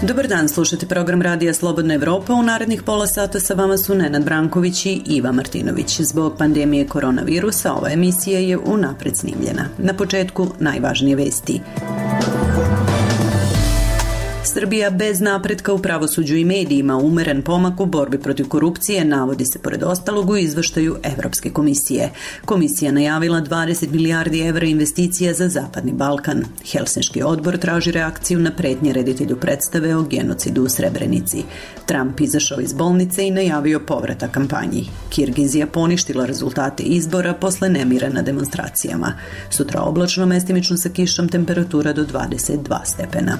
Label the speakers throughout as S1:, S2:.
S1: Dobar dan, slušate program Radija Slobodna Evropa. U narednih pola sata sa vama su Nenad Branković i Iva Martinović. Zbog pandemije koronavirusa ova emisija je unapred snimljena. Na početku najvažnije vesti. Srbija bez napretka u pravosuđu i medijima, umeren pomak u borbi protiv korupcije, navodi se pored ostalog u izveštaju Evropske komisije. Komisija najavila 20 milijardi evra investicija za Zapadni Balkan. Helsinški odbor traži reakciju na pretnje reditelju predstave o genocidu u Srebrenici. Trump izašao iz bolnice i najavio povratak kampanji. Kirgizija poništila rezultate izbora posle nemira na demonstracijama. Sutra oblačno, mestimično sa kišom, temperatura do 22 stepena.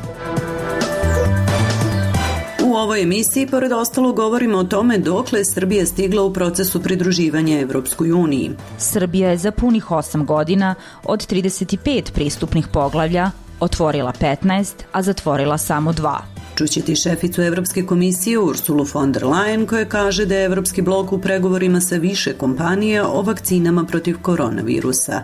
S1: U ovoj emisiji, pored ostalo, govorimo o tome dokle je Srbija stigla u procesu pridruživanja Evropskoj uniji.
S2: Srbija je za punih 8 godina od 35 pristupnih poglavlja otvorila 15, a zatvorila samo 2.
S1: Čućete šeficu Evropske komisije Ursulu von der Leyen, koja kaže da je Evropski blok u pregovorima sa više kompanija o vakcinama protiv koronavirusa.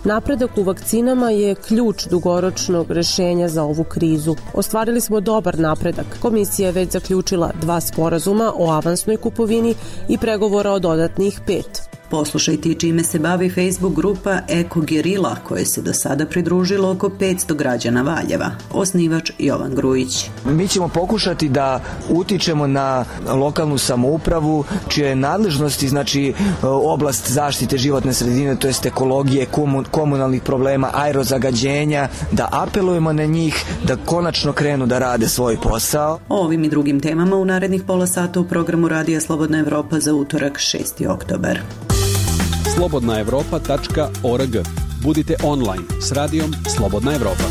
S3: Napredak u vakcinama je ključ dugoročnog rešenja za ovu krizu. Ostvarili smo dobar napredak. Komisija je već zaključila 2 sporazuma o avansnoj kupovini i pregovora o dodatnih 5.
S1: Poslušajte i čime se bavi Facebook grupa Eko Gerila, koje se do sada pridružilo oko 500 građana Valjeva. Osnivač Jovan Grujić.
S4: Mi ćemo pokušati da utičemo na lokalnu samoupravu, čije je nadležnosti, znači oblast zaštite životne sredine, to jest ekologije, komunalnih problema, aerozagađenja, da apelujemo na njih da konačno krenu da rade svoj posao.
S1: O ovim i drugim temama u narednih pola sata u programu Radija Slobodna Evropa za utorak 6. oktobar.
S5: slobodnaevropa.org. Budite online s radijom Slobodna Evropa.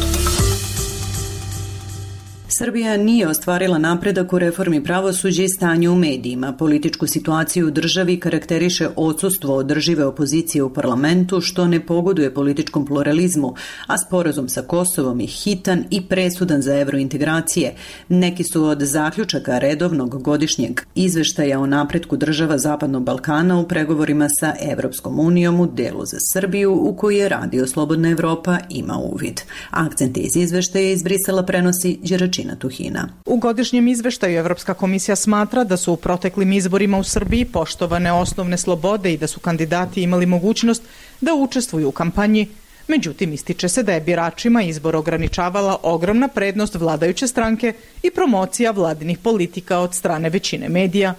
S1: Srbija nije ostvarila napredak u reformi pravosuđa i stanju u medijima. Političku situaciju u državi karakteriše odsustvo održive opozicije u parlamentu, što ne pogoduje političkom pluralizmu, a sporazum sa Kosovom je hitan i presudan za evrointegracije. Neki su od zaključaka redovnog godišnjeg izveštaja o napretku država Zapadnog Balkana u pregovorima sa Evropskom unijom u delu za Srbiju, u koji je Radio Slobodna Evropa ima uvid. Akcente iz izveštaja iz Brisela prenosi Đeračina Tuhina.
S6: U godišnjem izveštaju Evropska komisija smatra da su u proteklim izborima u Srbiji poštovane osnovne slobode i da su kandidati imali mogućnost da učestvuju u kampanji. Međutim, ističe se da je biračima izbor ograničavala ogromna prednost vladajuće stranke i promocija vladinih politika od strane većine medija.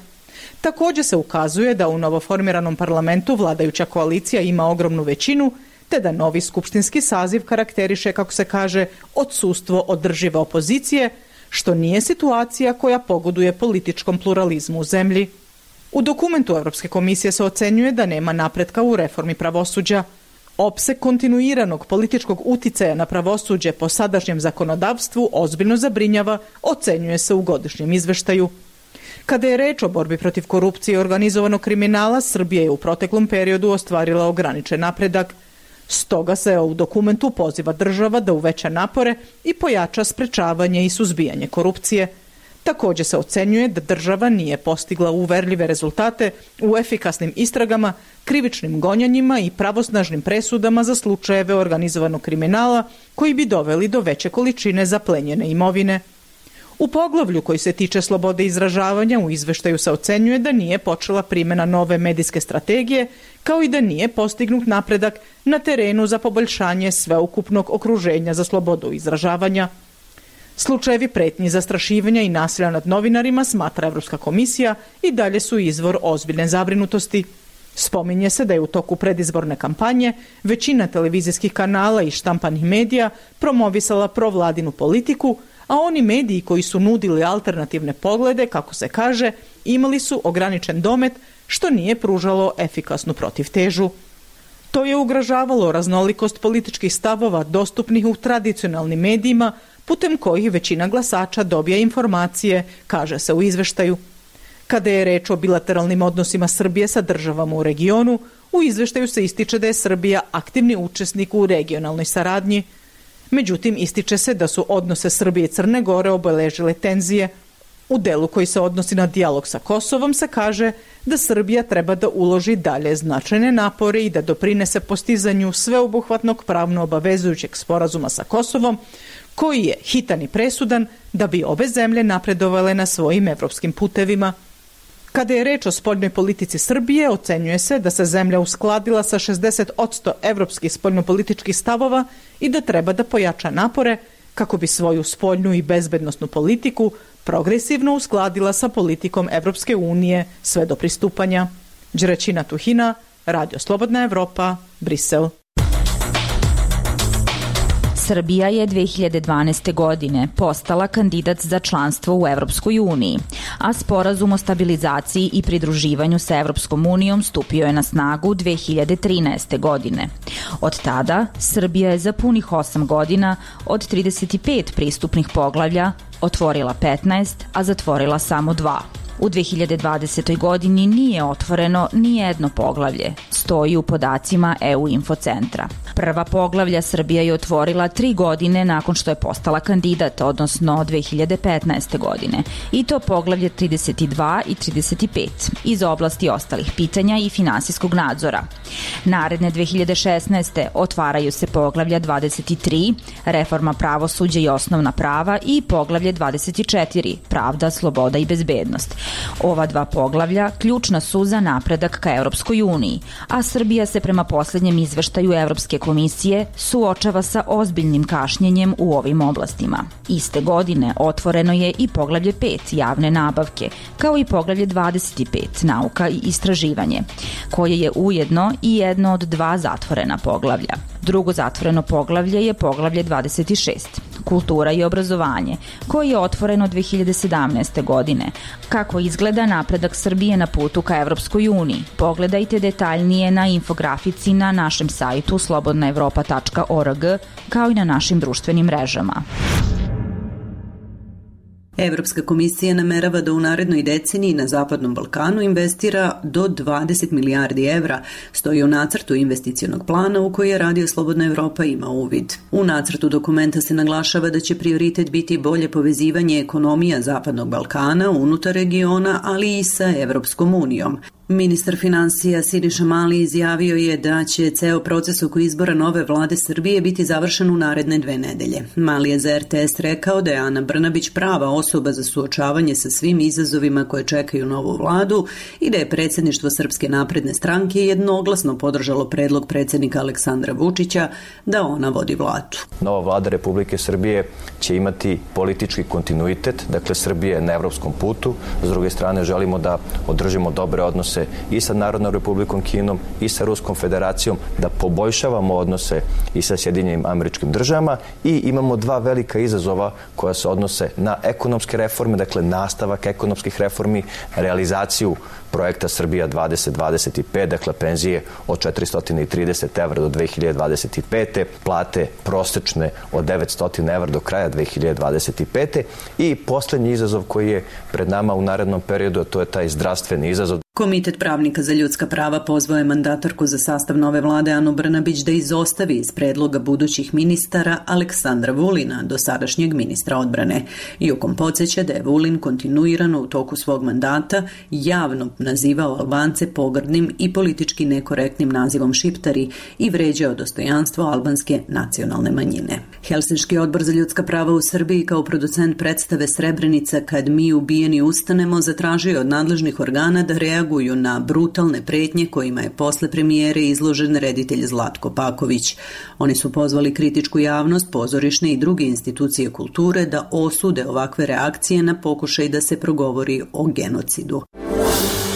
S6: Također se ukazuje da u novoformiranom parlamentu vladajuća koalicija ima ogromnu većinu, te da novi skupštinski saziv karakteriše, kako se kaže, odsustvo održive opozicije, što nije situacija koja pogoduje političkom pluralizmu u zemlji. U dokumentu Evropske komisije se ocenjuje da nema napretka u reformi pravosuđa. Opseg kontinuiranog političkog uticaja na pravosuđe po sadašnjem zakonodavstvu ozbiljno zabrinjava, ocenjuje se u godišnjem izveštaju. Kada je reč o borbi protiv korupcije i organizovanog kriminala, Srbija je u proteklom periodu ostvarila ograničen napredak. Stoga se u dokumentu poziva država da uveća napore i pojača sprečavanje i suzbijanje korupcije. Također se ocenjuje da država nije postigla uverljive rezultate u efikasnim istragama, krivičnim gonjanjima i pravosnažnim presudama za slučajeve organizovanog kriminala koji bi doveli do veće količine zaplenjene imovine. U poglavlju koji se tiče slobode izražavanja u izveštaju se ocenjuje da nije počela primjena nove medijske strategije, kao i da nije postignut napredak na terenu za poboljšanje sveukupnog okruženja za slobodu izražavanja. Slučajevi pretnji, zastrašivanja i nasilja nad novinarima, smatra Evropska komisija, i dalje su izvor ozbiljne zabrinutosti. Spominje se da je u toku predizborne kampanje većina televizijskih kanala i štampanih medija promovisala provladinu politiku, a oni mediji koji su nudili alternativne poglede, kako se kaže, imali su ograničen domet, što nije pružalo efikasnu protivtežu. To je ugrožavalo raznolikost političkih stavova dostupnih u tradicionalnim medijima, putem kojih većina glasača dobija informacije, kaže se u izveštaju. Kada je reč o bilateralnim odnosima Srbije sa državama u regionu, u izveštaju se ističe da je Srbija aktivni učesnik u regionalnoj saradnji. Međutim, ističe se da su odnose Srbije i Crne Gore obeležile tenzije. U delu koji se odnosi na dijalog sa Kosovom se kaže da Srbija treba da uloži dalje značajne napore i da doprinese postizanju sveobuhvatnog pravno obavezujućeg sporazuma sa Kosovom, koji je hitan i presudan da bi obe zemlje napredovale na svojim evropskim putevima. Kada je reč o spoljnoj politici Srbije, ocenjuje se da se zemlja uskladila sa 60% evropskih spoljnopolitičkih stavova i da treba da pojača napore kako bi svoju spoljnu i bezbednosnu politiku progresivno uskladila sa politikom Evropske unije sve do pristupanja. Đerećina Tuhina, Radio Slobodna Evropa, Brisel.
S2: Srbija je 2012. godine postala kandidat za članstvo u Evropskoj uniji, a sporazum o stabilizaciji i pridruživanju sa Evropskom unijom stupio je na snagu 2013. godine. Od tada Srbija je za punih 8 godina od 35 pristupnih poglavlja otvorila 15, a zatvorila samo 2. U 2020. godini nije otvoreno ni jedno poglavlje, stoji u podacima EU Infocentra. Prva poglavlja Srbija je otvorila 3 godine nakon što je postala kandidat, odnosno 2015. godine, i to poglavlje 32 i 35 iz oblasti ostalih pitanja i finansijskog nadzora. Naredne 2016. otvaraju se poglavlja 23, reforma pravosuđa i osnovna prava, i poglavlje 24, pravda, sloboda i bezbednost. Ova 2 poglavlja ključna su za napredak ka Evropskoj uniji, a Srbija se prema poslednjem izveštaju Evropske komisije suočava sa ozbiljnim kašnjenjem u ovim oblastima. Iste godine otvoreno je i poglavlje 5, javne nabavke, kao i poglavlje 25, nauka i istraživanje, koje je ujedno i jedno od 2 zatvorena poglavlja. Drugo zatvoreno poglavlje je poglavlje 26, kultura i obrazovanje, koje je otvoreno 2017. godine. Kako izgleda napredak Srbije na putu ka Evropskoj uniji? Pogledajte detaljnije na infografici na našem sajtu slobodnaevropa.org, kao i na našim društvenim mrežama.
S1: Evropska komisija namerava da u narednoj deceniji na Zapadnom Balkanu investira do 20 milijardi evra, stoji u nacrtu investicionog plana u koji je Radio Slobodna Evropa ima uvid. U nacrtu dokumenta se naglašava da će prioritet biti bolje povezivanje ekonomija Zapadnog Balkana unutar regiona, ali i sa Evropskom unijom. Ministar finansija Siniša Mali izjavio je da će ceo proces oko izbora nove vlade Srbije biti završen u naredne 2 nedelje. Mali je za RTS rekao da je Ana Brnabić prava osoba za suočavanje sa svim izazovima koje čekaju novu vladu i da je predsjedništvo Srpske napredne stranke jednoglasno podržalo predlog predsjednika Aleksandra Vučića da ona vodi vladu.
S7: Nova vlada Republike Srbije će imati politički kontinuitet, dakle Srbije na evropskom putu. S druge strane želimo da održimo dobre odnose i sa Narodnom Republikom Kinom i sa Ruskom federacijom, da poboljšavamo odnose i sa Sjedinjenim Američkim Državama, i imamo 2 velika izazova koja se odnose na ekonomske reforme, dakle nastavak ekonomskih reformi, realizaciju projekta Srbija 2025, dakle penzije od 430 evra do 2025. plate prosečne od 900 evra do kraja 2025. I poslednji izazov koji je pred nama u narednom periodu, to je taj zdravstveni izazov.
S1: Komitet pravnika za ljudska prava pozvao je mandatarku za sastav nove vlade Anu Brnabić da izostavi iz predloga budućih ministara Aleksandra Vulina, dosadašnjeg ministra odbrane. Jokom podsjeća da je Vulin kontinuirano u toku svog mandata javno nazivao Albance pogrdnim i politički nekorektnim nazivom šiptari i vređao dostojanstvo albanske nacionalne manjine. Helsinški odbor za ljudska prava u Srbiji kao producent predstave Srebrenica kad mi ubijeni ustanemo zatražio od nadležnih organa da reaguju na brutalne pretnje kojima je posle premijere izložen reditelj Zlatko Paković. Oni su pozvali kritičku javnost, pozorišne i druge institucije kulture da osude ovakve reakcije na pokušaj da se progovori o genocidu.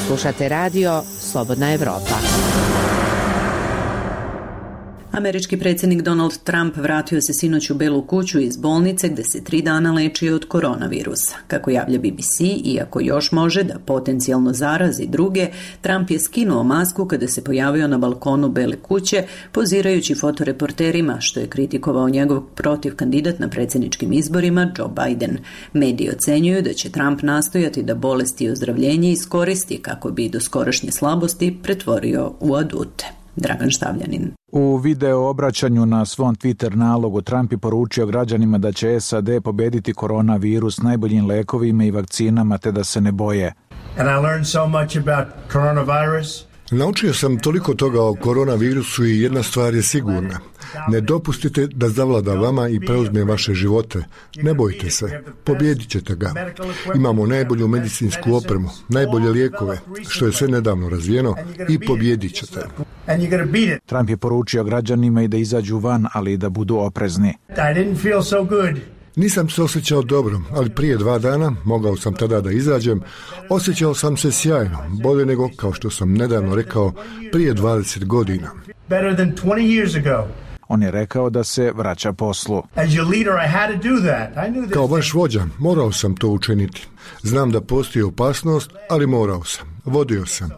S8: Slušate radio Slobodna Evropa.
S1: Američki predsjednik Donald Trump vratio se sinoć u Belu kuću iz bolnice gde se 3 dana lečio od koronavirusa. Kako javlja BBC, iako još može da potencijalno zarazi druge, Trump je skinuo masku kada se pojavio na balkonu Bele kuće, pozirajući fotoreporterima, što je kritikovao njegov protivkandidat na predsjedničkim izborima Joe Biden. Mediji ocenjuju da će Trump nastojati da bolest i ozdravljenje iskoristi kako bi doskorašnje slabosti pretvorio u adute. Dragan Štavljanin.
S9: U video obraćanju na svom Twitter nalogu Trump je poručio građanima da će SAD pobediti koronavirus najboljim lekovima i vakcinama te da se ne boje.
S10: And I learned so much about coronavirus.
S11: Naučio sam toliko toga o koronavirusu i jedna stvar je sigurna. Ne dopustite da zavlada vama i preuzme vaše živote. Ne bojte se, pobjedit ćete ga. Imamo najbolju medicinsku opremu, najbolje lijekove, što je sve nedavno razvijeno, i pobjedit ćete.
S9: Trump je poručio građanima i da izađu van, ali i da budu oprezni.
S11: Nisam se osjećao dobro, ali prije 2 dana, mogao sam tada da izađem, osjećao sam se sjajno, bolje nego, kao što sam nedavno rekao, prije 20 godina.
S9: On je rekao da se vraća poslu.
S11: Kao vaš vođa, morao sam to učiniti. Znam da postoji opasnost, ali morao sam. Vodio sam.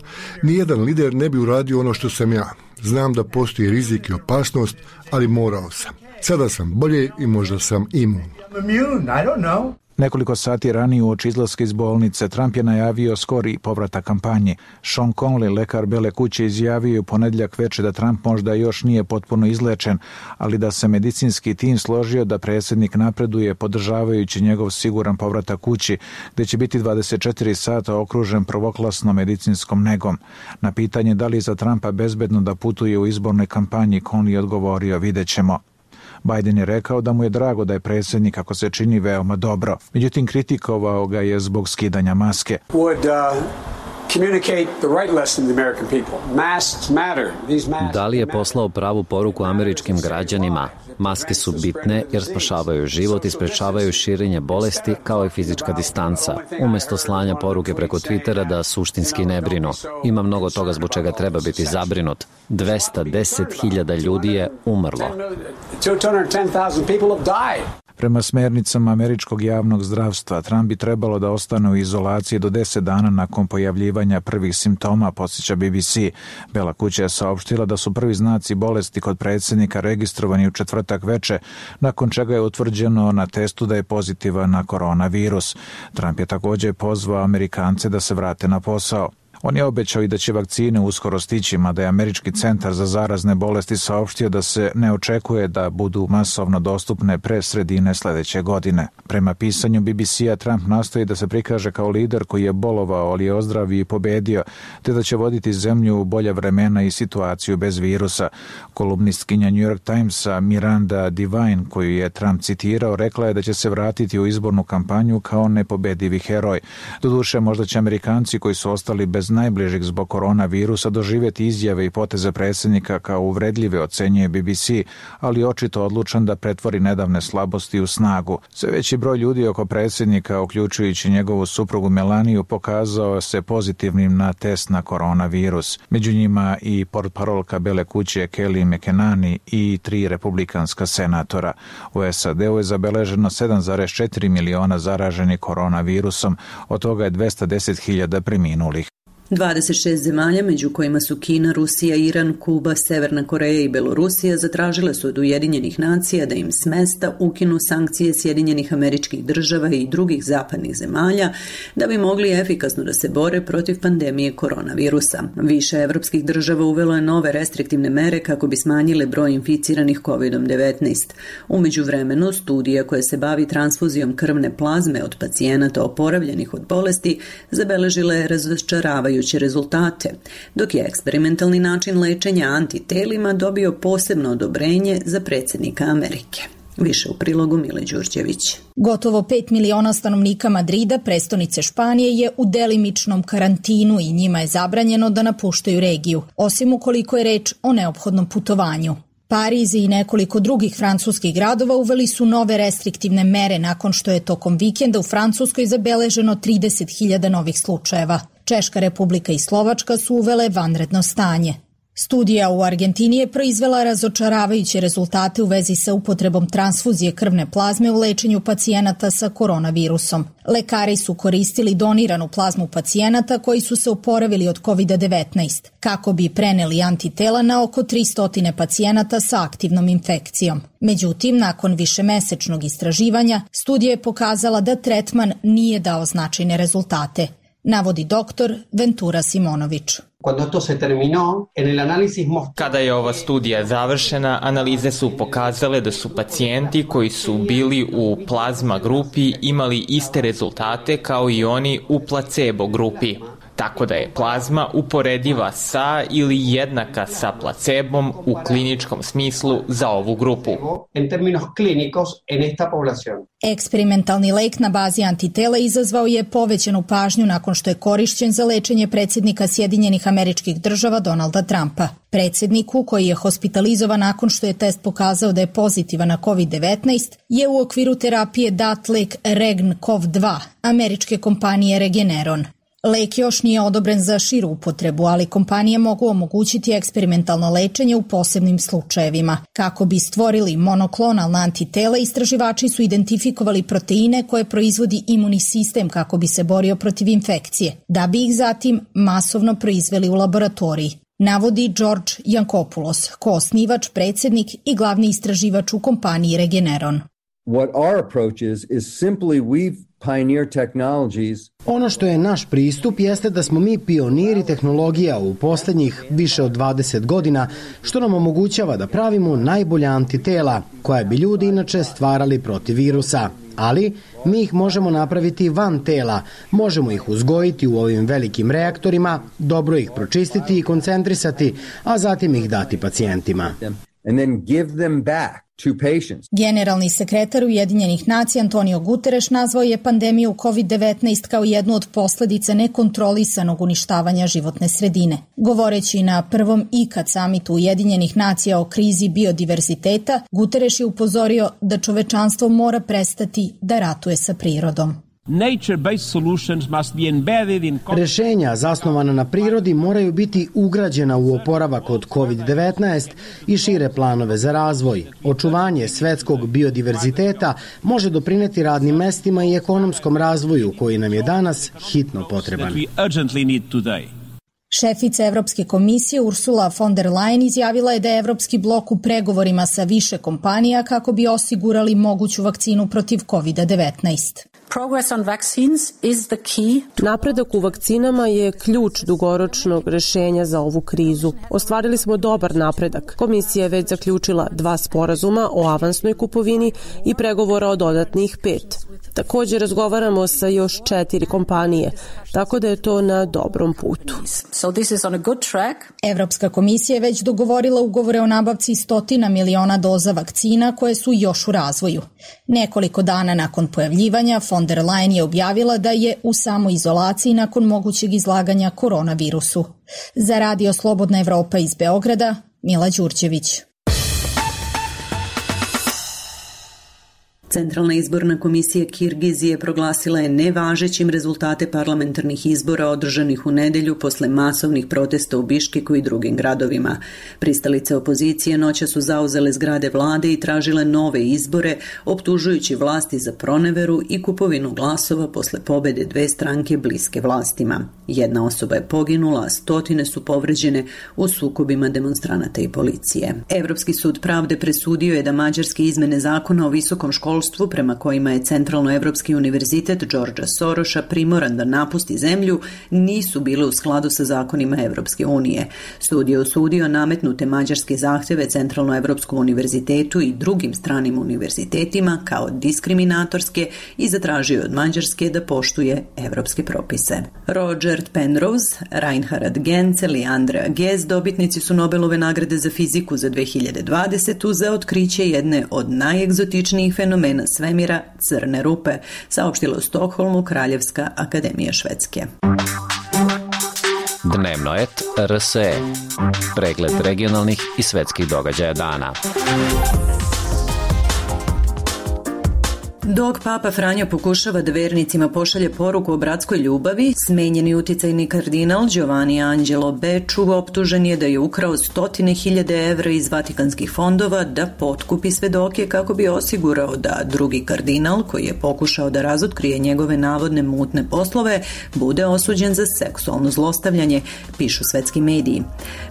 S11: Nijedan lider ne bi uradio ono što sam ja. Znam da postoji rizik i opasnost, ali morao sam. Sada sam bolje i možda sam imun.
S9: Nekoliko sati ranije uoči izlaska iz bolnice, Trump je najavio skori povratak kampanji. Sean Conley, lekar Bele kuće, izjavio u ponedjeljak veče da Trump možda još nije potpuno izlečen, ali da se medicinski tim složio da predsjednik napreduje podržavajući njegov siguran povratak kući, gdje će biti 24 sata okružen prvoklasnom medicinskom negom. Na pitanje da li je za Trumpa bezbedno da putuje u izbornoj kampanji, Conley je odgovorio: vidjet ćemo. Biden je rekao da mu je drago da je predsjednik, kako se čini, veoma dobro. Međutim, kritikovao ga je zbog skidanja maske.
S12: Da li je poslao pravu poruku američkim građanima? Maske su bitne jer spašavaju život i sprečavaju širenje bolesti, kao i fizička distanca, umjesto slanja poruke preko Twittera da suštinski ne brinu. Ima mnogo toga zbog čega treba biti zabrinut. 210.000 ljudi je umrlo.
S9: Prema smernicama američkog javnog zdravstva, Trump bi trebalo da ostane u izolaciji do 10 dana nakon pojavljivanja prvih simptoma, podsjeća BBC. Bela kuća je saopštila da su prvi znaci bolesti kod predsjednika registrovani u četvrtak veče, nakon čega je utvrđeno na testu da je pozitivan na koronavirus. Trump je također pozvao Amerikance da se vrate na posao. On je obećao i da će vakcine uskoro stići, mada je Američki centar za zarazne bolesti saopštio da se ne očekuje da budu masovno dostupne pre sredine sljedeće godine. Prema pisanju BBC-a, Trump nastoji da se prikaže kao lider koji je bolovao, ali je ozdravio i pobedio, te da će voditi zemlju u bolja vremena i situaciju bez virusa. Kolumnistkinja New York Timesa Miranda Devine, koju je Trump citirao, rekla je da će se vratiti u izbornu kampanju kao nepobedivi heroj. Doduše, možda će Amerikanci koji su ostali bez najbližih zbog koronavirusa doživjeti izjave i poteze predsjednika kao uvredljive, ocenjuje BBC, ali očito odlučan da pretvori nedavne slabosti u snagu. Sve veći broj ljudi oko predsjednika, uključujući njegovu suprugu Melaniju, pokazao se pozitivnim na test na koronavirus. Među njima i portparolka Bele kuće Kelly McEnany i 3 republikanska senatora. U SAD-u je zabeleženo 7,4 miliona zaraženih koronavirusom, od toga je 210.000 preminulih.
S1: 26 zemalja, među kojima su Kina, Rusija, Iran, Kuba, Severna Koreja i Belorusija, zatražile su od Ujedinjenih nacija da im smesta ukinu sankcije Sjedinjenih Američkih Država i drugih zapadnih zemalja da bi mogli efikasno da se bore protiv pandemije koronavirusa. Više evropskih država uvelo je nove restriktivne mere kako bi smanjile broj inficiranih COVID-19. U međuvremenu, studija koja se bavi transfuzijom krvne plazme od pacijenata oporavljenih od bolesti zabeležila je razočaravajuće rezultate, dok je eksperimentalni način lečenja antitelima dobio posebno odobrenje za predsjednika Amerike. Više u prilogu Mile Đurđević.
S13: Gotovo 5 miliona stanovnika Madrida, prestonice Španije, je u delimičnom karantinu i njima je zabranjeno da napuštaju regiju, osim ukoliko je reč o neophodnom putovanju. Pariz i nekoliko drugih francuskih gradova uveli su nove restriktivne mere nakon što je tokom vikenda u Francuskoj zabeleženo 30.000 novih slučajeva. Češka Republika i Slovačka su uvele vanredno stanje. Studija u Argentini je proizvela razočaravajuće rezultate u vezi sa upotrebom transfuzije krvne plazme u lečenju pacijenata sa koronavirusom. Lekari su koristili doniranu plazmu pacijenata koji su se oporavili od COVID-19, kako bi preneli antitela na oko 300 pacijenata sa aktivnom infekcijom. Međutim, nakon višemesečnog istraživanja, studija je pokazala da tretman nije dao značajne rezultate, navodi doktor Ventura Simonović.
S14: Kada je ova studija završena, analize su pokazale da su pacijenti koji su bili u plazma grupi imali iste rezultate kao i oni u placebo grupi. Tako da je plazma uporediva sa ili jednaka sa placebom u kliničkom smislu za ovu grupu.
S13: Eksperimentalni lek na bazi antitela izazvao je povećanu pažnju nakon što je korišćen za lečenje predsjednika Sjedinjenih Američkih Država Donalda Trumpa. Predsjedniku, koji je hospitalizovan nakon što je test pokazao da je pozitivan na COVID-19, je u okviru terapije dat lek Regn-CoV-2 američke kompanije Regeneron. Lek još nije odobren za širu upotrebu, ali kompanije mogu omogućiti eksperimentalno lečenje u posebnim slučajevima. Kako bi stvorili monoklonalna antitela, istraživači su identifikovali proteine koje proizvodi imunni sistem kako bi se borio protiv infekcije, da bi ih zatim masovno proizveli u laboratoriji. Navodi George Yankopoulos, koosnivač, predsjednik i glavni istraživač u kompaniji Regeneron.
S15: What our approach is simply we've pioneer technologies.
S16: Ono što je naš pristup jeste da smo mi pioniri tehnologija u posljednjih više od 20 godina, što nam omogućava da pravimo najbolja antitela, koja bi ljudi inače stvarali protiv virusa. Ali mi ih možemo napraviti van tela, možemo ih uzgojiti u ovim velikim reaktorima, dobro ih pročistiti i koncentrisati, a zatim ih dati pacijentima.
S15: And then give them back to patients.
S13: Generalni sekretar Ujedinjenih nacija Antonio Guterres nazvao je pandemiju COVID-19 kao jednu od posljedica nekontrolisanog uništavanja životne sredine. Govoreći na prvom ikad samitu Ujedinjenih nacija o krizi biodiverziteta, Guterres je upozorio da čovečanstvo mora prestati da ratuje sa prirodom.
S16: Rešenja zasnovana na prirodi moraju biti ugrađena u oporavak od COVID-19 i šire planove za razvoj. Očuvanje svetskog biodiverziteta može doprineti radnim mestima i ekonomskom razvoju koji nam je danas hitno potreban.
S13: Šefica Evropske komisije Ursula von der Leyen izjavila je da je Evropski blok u pregovorima sa više kompanija kako bi osigurali moguću vakcinu protiv COVID-19.
S3: Napredak u vakcinama je ključ dugoročnog rešenja za ovu krizu. Ostvarili smo dobar napredak. Komisija je već zaključila 2 sporazuma o avansnoj kupovini i pregovora o dodatnih 5. Također razgovaramo sa još 4 kompanije, tako da je to na dobrom putu.
S13: Evropska komisija je već dogovorila ugovore o nabavci 100 miliona doza vakcina koje su još u razvoju. Nekoliko dana nakon pojavljivanja, von der Leyen je objavila da je u samoizolaciji nakon mogućeg izlaganja koronavirusu. Za Radio Slobodna Evropa iz Beograda, Mila Đurđević.
S1: Centralna izborna komisija Kirgizije proglasila je nevažećim rezultate parlamentarnih izbora održanih u nedelju posle masovnih protesta u Biškeku i drugim gradovima. Pristalice opozicije noća su zauzele zgrade vlade i tražile nove izbore, optužujući vlasti za proneveru i kupovinu glasova posle pobede 2 stranke bliske vlastima. 1 osoba je poginula, a stotine su povređene u sukobima demonstranata i policije. Evropski sud pravde presudio je da mađarske izmene zakona o visokom školstvu prema kojima je Centralnoevropski univerzitet Georgea Soroša primoran da napusti zemlju nisu bile u skladu sa zakonima Evropske unije. Sud je osudio nametnute mađarske zahteve Centralnoevropskom univerzitetu i drugim stranim univerzitetima kao diskriminatorske i zatražio od Mađarske da poštuje evropske propise. Roger Penrose, Reinhard Genzel i Andrea Ghez dobitnici su Nobelove nagrade za fiziku za 2020 za otkriće jedne od najegzotičnijih fenomena svemira, crne rupe, saopštila u Stokholmu Kraljevska akademija Švedske.
S12: Dnevno et RSE. Pregled regionalnih i svetskih događaja dana.
S1: Dok Papa Franjo pokušava da vernicima pošalje poruku o bratskoj ljubavi, smenjeni uticajni kardinal Giovanni Angelo Becciu optužen je da je ukrao 100.000 evra iz vatikanskih fondova da potkupi svedoke kako bi osigurao da drugi kardinal, koji je pokušao da razotkrije njegove navodne mutne poslove, bude osuđen za seksualno zlostavljanje, pišu svetski mediji.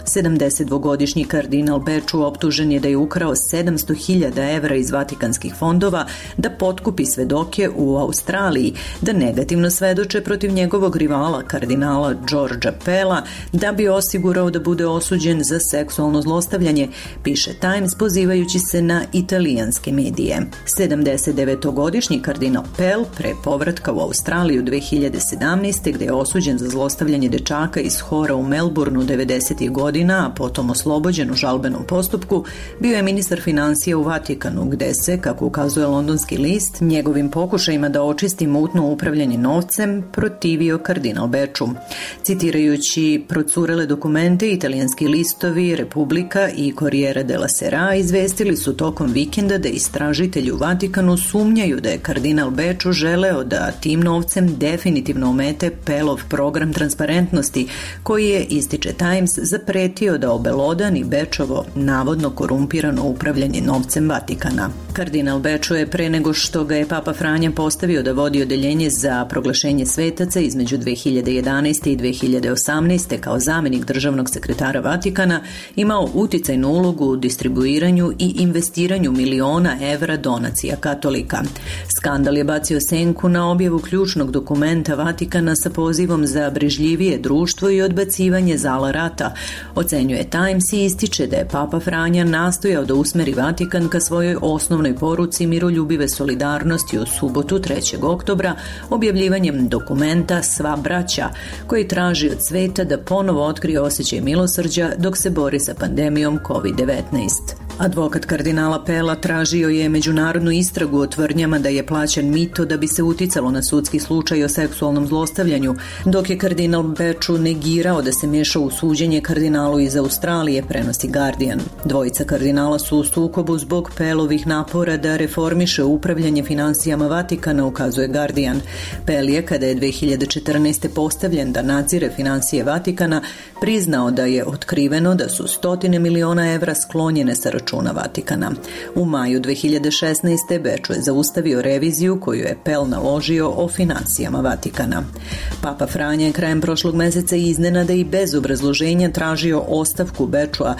S1: 72-godišnji kardinal Becciu optužen je da je ukrao 700.000 evra iz vatikanskih fondova da potkupi okupi svedoke u Australiji da negativno svedoče protiv njegovog rivala, kardinala Georgea Pella, da bi osigurao da bude osuđen za seksualno zlostavljanje, piše Times pozivajući se na italijanske medije. 79-godišnji kardinal Pell pre povratka u Australiju 2017. gde je osuđen za zlostavljanje dečaka iz hora u Melbourneu 90. godina, a potom oslobođen u žalbenom postupku, bio je ministar financija u Vatikanu, gde se, kako ukazuje londonski list, njegovim pokušajima da očisti mutno upravljanje novcem protivio kardinal Beču. Citirajući procurele dokumente, italijanski listovi Republika i Corriere della Sera izvestili su tokom vikenda da istražitelji u Vatikanu sumnjaju da je kardinal Beču želeo da tim novcem definitivno omete Pellov program transparentnosti, koji je, ističe Times, zapretio da obelodani Bečovo navodno korumpirano upravljanje novcem Vatikana. Kardinal Beču je pre nego što ga je Papa Franja postavio da vodi odeljenje za proglašenje svetaca između 2011. i 2018. kao zamenik državnog sekretara Vatikana imao uticajnu ulogu u distribuiranju i investiranju miliona evra donacija katolika. Skandal je bacio senku na objavu ključnog dokumenta Vatikana sa pozivom za brežljivije društvo i odbacivanje zala rata, ocenjuje Times i ističe da je Papa Franja nastojao da usmeri Vatikan ka svojoj osnovnoj poruci miroljubive solidarnosti u subotu 3. oktobra objavljivanjem dokumenta Sva braća, koji traži od sveta da ponovo otkrije osjećaj milosrđa dok se bori sa pandemijom COVID-19. Advokat kardinala Pella tražio je međunarodnu istragu o tvrdnjama da je plaćan mito da bi se uticalo na sudski slučaj o seksualnom zlostavljanju, dok je kardinal Beču negirao da se meša u suđenje kardinalu iz Australije, prenosi Guardian. Dvojica kardinala su u sukobu zbog Pellovih napora da reformiše upravljanje finansijama Vatikana, ukazuje Guardian. Pell je, kada je 2014. postavljen da nadzire finansije Vatikana, priznao da je otkriveno da su stotine miliona evra sklonjene sa računa Vatikana. U maju 2016. Beču je zaustavio reviziju koju je Pell naložio o finansijama Vatikana. Papa Franja je krajem prošlog meseca iznenada i bez obrazloženja tražio ostavku Bečua,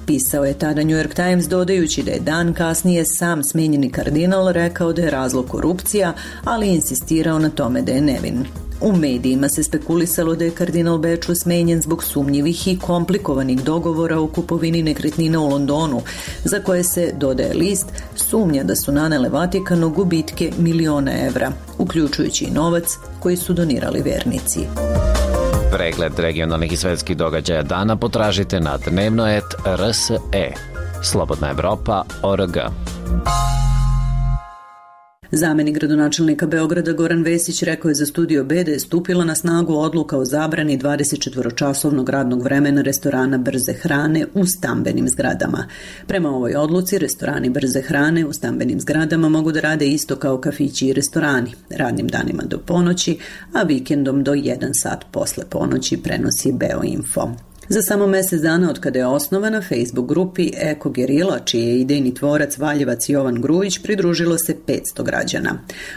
S1: pisao je tada New York Times, dodajući da je dan kasnije sam smenjeni kardinal rekao da je razlog korupcija, ali insistirao na tome da je nevin. U medijima se spekulisalo da je kardinal Beču smenjen zbog sumnjivih i komplikovanih dogovora o kupovini nekretnina u Londonu, za koje se, dodaje list, sumnja da su nanele Vatikanu gubitke miliona evra, uključujući i novac koji su donirali vernici.
S12: Pregled regionalnih i svetskih događaja dana potražite na dnevnoet.rs.e. Slobodna Evropa.org.
S1: Zamenik gradonačelnika Beograda Goran Vesić rekao je za Studio B da je stupila na snagu odluka o zabrani 24-časovnog radnog vremena restorana brze hrane u stambenim zgradama. Prema ovoj odluci, restorani brze hrane u stambenim zgradama mogu da rade isto kao kafići i restorani, radnim danima do ponoći, a vikendom do 1 sat posle ponoći, prenosi Beoinfo. Za samo mesec dana od kada je osnovana Facebook grupi Eko Gerila, čiji je idejni tvorac Valjevac Jovan Grujić, pridružilo se 500 građana.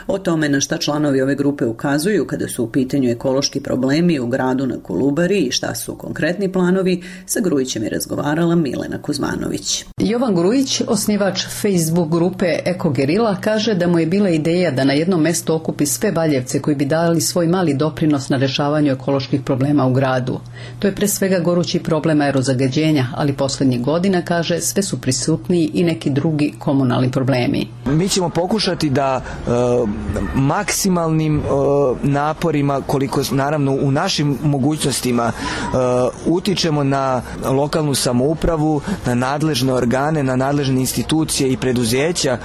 S1: O tome na šta članovi ove grupe ukazuju kada su u pitanju ekološki problemi u gradu na Kolubari i šta su konkretni planovi, sa Grujićem je razgovarala Milena Kuzmanović.
S17: Jovan Grujić, osnivač Facebook grupe Eko Gerila, kaže da mu je bila ideja da na jednom mestu okupi sve Valjevce koji bi dali svoj mali doprinos na rešavanju ekoloških problema u gradu. To je pre svega gorući problem aerozagađenja, ali poslednjih godina, kaže, sve su prisutniji i neki drugi komunalni problemi.
S4: Mi ćemo pokušati da maksimalnim naporima, koliko naravno u našim mogućnostima, utičemo na lokalnu samoupravu, na nadležne organe, na nadležne institucije i preduzeća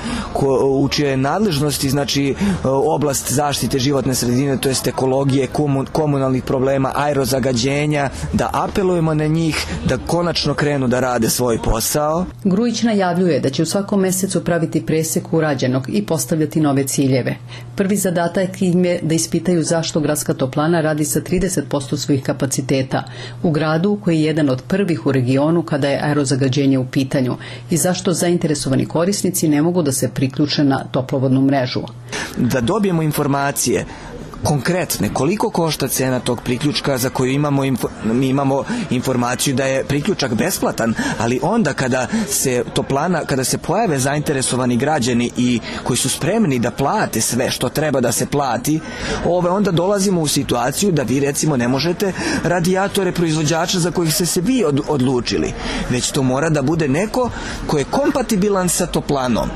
S4: u čije nadležnosti, znači oblast zaštite životne sredine, to jest ekologije, komunalnih problema, aerozagađenja, da apelujemo na njih da konačno krenu da rade svoj posao.
S17: Grujić najavljuje da će u svakom mesecu praviti presek urađenog i postavljati nove ciljeve. Prvi zadatak im je da ispitaju zašto gradska toplana radi sa 30% svojih kapaciteta u gradu koji je jedan od prvih u regionu kada je aerozagađenje u pitanju i zašto zainteresovani korisnici ne mogu da se priključe na toplovodnu mrežu.
S4: Da dobijemo informacije konkretne. Koliko košta cena tog priključka za koju mi imamo informaciju da je priključak besplatan, ali onda kada se pojave zainteresovani građani i koji su spremni da plate sve što treba da se plati, onda dolazimo u situaciju da vi recimo ne možete radijatore proizvođača za kojih ste se vi odlučili, već to mora da bude neko ko je kompatibilan sa toplanom.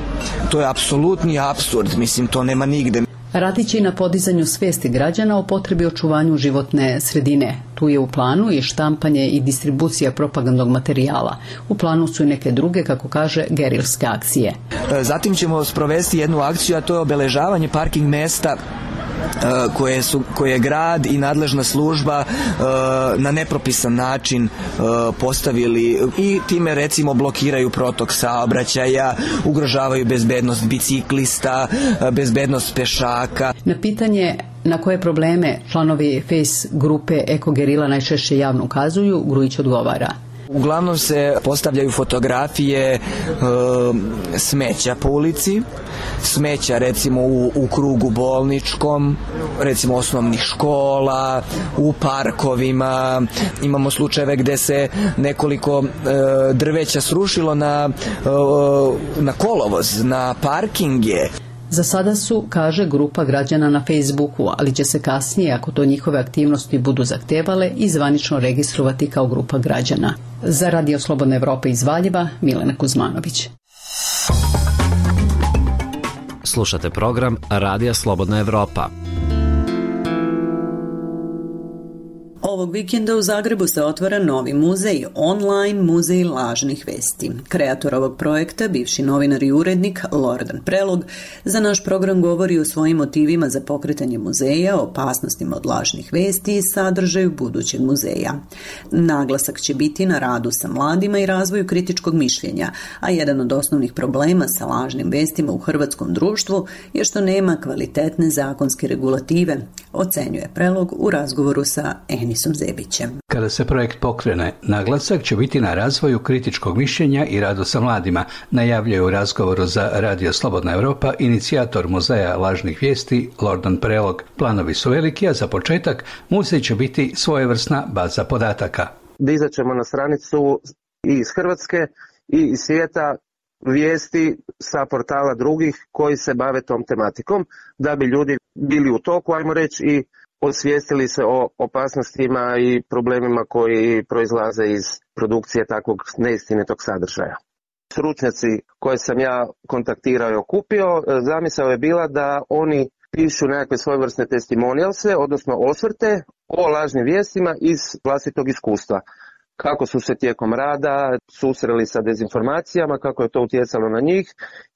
S4: To je apsolutni apsurd, mislim, to nema nigde.
S17: Radit će i na podizanju svesti građana o potrebi očuvanju životne sredine. Tu je u planu i štampanje i distribucija propagandnog materijala. U planu su i neke druge, kako kaže, gerilske akcije.
S4: Zatim ćemo sprovesti jednu akciju, a to je obeležavanje parking mesta koje je grad i nadležna služba na nepropisan način postavili i time recimo blokiraju protok saobraćaja, ugrožavaju bezbednost biciklista, bezbednost pešaka.
S17: Na pitanje na koje probleme članovi Face grupe Eko Gerila najčešće javno ukazuju, Grujić odgovara.
S4: Uglavnom se postavljaju fotografije smeća po ulici, smeća recimo u krugu bolničkom, recimo osnovnih škola, u parkovima. Imamo slučajeve gde se nekoliko drveća srušilo na kolovoz, na parkinge.
S17: Za sada su, kaže, grupa građana na Facebooku, ali će se kasnije, ako to njihove aktivnosti budu zahtevale, i zvanično registrovati kao grupa građana. Za Radio Slobodna Evropa iz Valjeva, Milena Kuzmanović.
S12: Slušate program Radija Slobodna Evropa.
S1: Ovog vikenda u Zagrebu se otvara novi muzej, online muzej lažnih vesti. Kreator ovog projekta, bivši novinar i urednik Lordan Prelog, za naš program govori o svojim motivima za pokretanje muzeja, opasnostima od lažnih vesti i sadržaju budućeg muzeja. Naglasak će biti na radu sa mladima i razvoju kritičkog mišljenja, a jedan od osnovnih problema sa lažnim vestima u hrvatskom društvu je što nema kvalitetne zakonske regulative, ocenjuje Prelog u razgovoru sa Enisom Zebićem.
S18: Kada se projekt pokrene, naglasak će biti na razvoju kritičkog mišljenja i radu sa mladima, najavljuje u razgovoru za Radio Slobodna Evropa inicijator muzeja lažnih vijesti Lordan Prelog. Planovi su veliki, a za početak muzej će biti svojevrsna baza podataka.
S19: Dizat ćemo na stranicu i iz Hrvatske i iz svijeta vijesti sa portala drugih koji se bave tom tematikom, da bi ljudi bili u toku, ajmo reći, i osvijestili se o opasnostima i problemima koji proizlaze iz produkcije takvog neistinitog sadržaja. Stručnjaci koje sam ja kontaktirao i okupio, zamisao je bila da oni pišu nekakve svojevrsne testimonijalse, odnosno osvrte o lažnim vijestima iz vlastitog iskustva. Kako su se tijekom rada susreli sa dezinformacijama, kako je to utjecalo na njih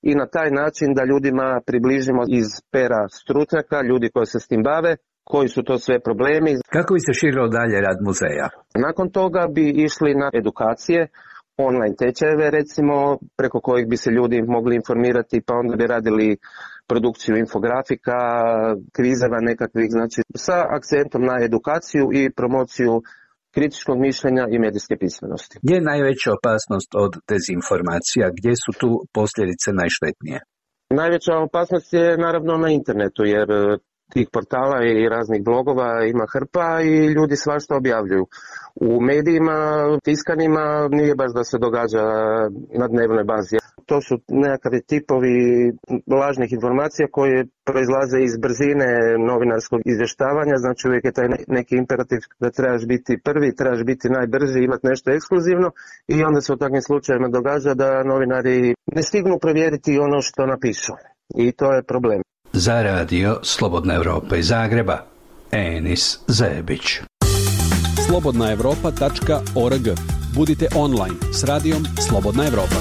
S19: i na taj način da ljudima približimo iz pera stručnjaka, ljudi koji se s tim bave, koji su to sve problemi.
S18: Kako bi se širilo dalje rad muzeja?
S19: Nakon toga bi išli na edukacije, online tečajeve recimo, preko kojih bi se ljudi mogli informirati, pa onda bi radili produkciju infografika, kvizeva nekakvih, znači sa akcentom na edukaciju i promociju kritičkog mišljenja i medijske pismenosti.
S18: Gdje je najveća opasnost od dezinformacija? Gdje su tu posljedice najštetnije?
S19: Najveća opasnost je naravno na internetu, jer tih portala i raznih blogova ima hrpa i ljudi svašta objavljuju. U medijima, tiskanima, nije baš da se događa na dnevnoj bazi. To su nekakvi tipovi lažnih informacija koje proizlaze iz brzine novinarskog izvještavanja, znači uvijek je taj neki imperativ da trebaš biti prvi, trebaš biti najbrži, imati nešto ekskluzivno i onda se u takvim slučajevima događa da novinari ne stignu provjeriti ono što napišu i to je problem.
S18: Za Radio Slobodna Evropa iz Zagreba, Enis Zebić.
S5: slobodnaevropa.org. Budite online s radijom Slobodna Evropa.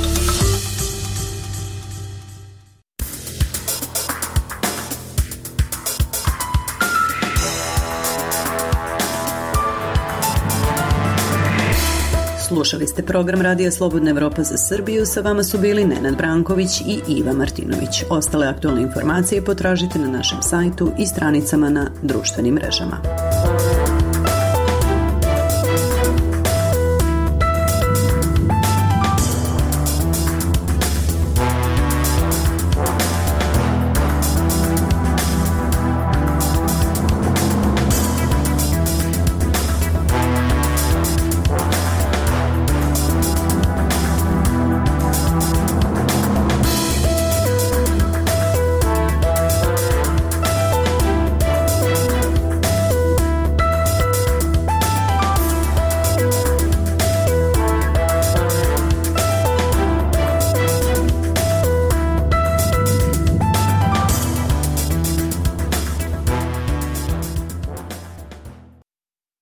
S1: Slušali ste program Radija Slobodna Evropa za Srbiju, sa vama su bili Nenad Branković i Iva Martinović. Ostale aktualne informacije potražite na našem sajtu i stranicama na društvenim mrežama.